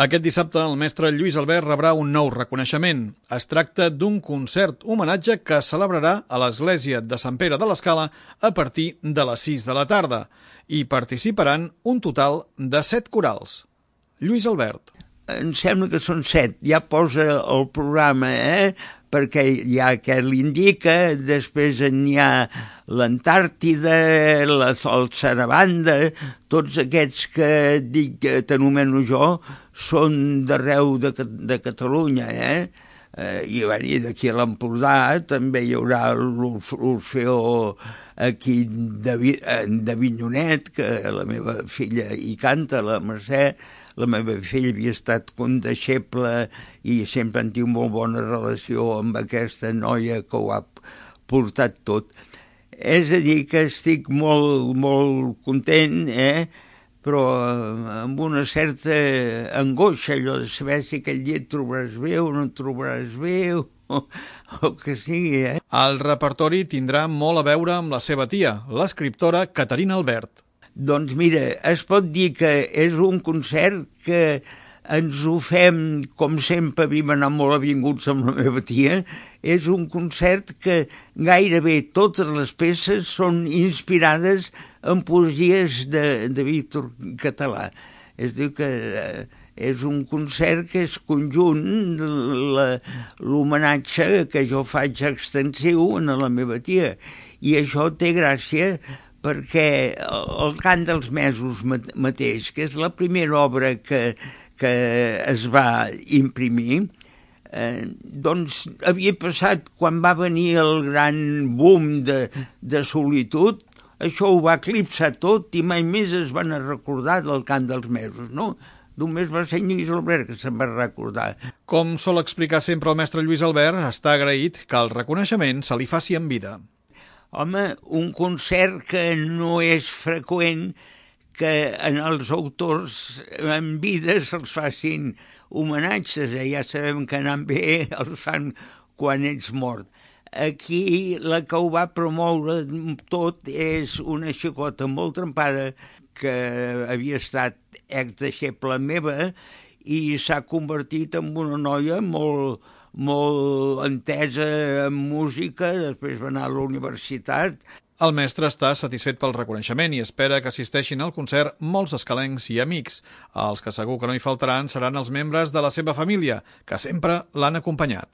Aquest dissabte el mestre Lluís Albert rebrà un nou reconeixement. Es tracta d'un concert homenatge que es celebrarà a l'església de Sant Pere de l'Escala a partir de les 6 de la tarda. Hi participaran un total de 7 corals. Lluís Albert. Em sembla que són 7, ja posa el programa, perquè hi ha que l'indica, després n'hi ha l'Antàrtida, el Sarabanda, tots aquests que dic que t'anomeno jo són d'arreu de Catalunya, i d'aquí a l'Empordà també hi haurà l'Orfeó aquí de Vinyonet, que la meva filla hi canta, la Mercè. La meva filla havia estat condeixeble i sempre han tingut molt bona relació amb aquesta noia que ho ha portat tot. És a dir, que estic molt, molt content, però amb una certa angoixa, allò de saber si aquell dia et trobaràs bé o no et trobaràs bé, o que sigui. El repertori tindrà molt a veure amb la seva tia, l'escriptora Caterina Albert. Doncs mira, es pot dir que és un concert que ens ho fem, com sempre havíem anat molt avinguts amb la meva tia, és un concert que gairebé totes les peces són inspirades en poesies de Víctor Català. És a dir que és un concert que és conjunt, l'homenatge que jo faig extensiu a la meva tia, i això té gràcia perquè el Cant dels Mesos mateix, que és la primera obra que es va imprimir, doncs havia passat quan va venir el gran boom de solitud, això ho va eclipsar tot i mai més es van recordar del Cant dels Mesos, no? Només va ser Lluís Albert que se'n va recordar. Com sol explicar sempre el mestre Lluís Albert, està agraït que el reconeixement se li faci en vida. Home, un concert que no és freqüent que en els autors en vida se'ls facin homenatges. Ja sabem que anant bé els fan quan ets mort. Aquí la que ho va promoure tot és una xicota molt trempada que havia estat exdeixeble meva i s'ha convertit en una noia molt entesa en música, després va anar a la universitat. El mestre està satisfet pel reconeixement i espera que assisteixin al concert molts escalencs i amics. Els que segur que no hi faltaran seran els membres de la seva família, que sempre l'han acompanyat.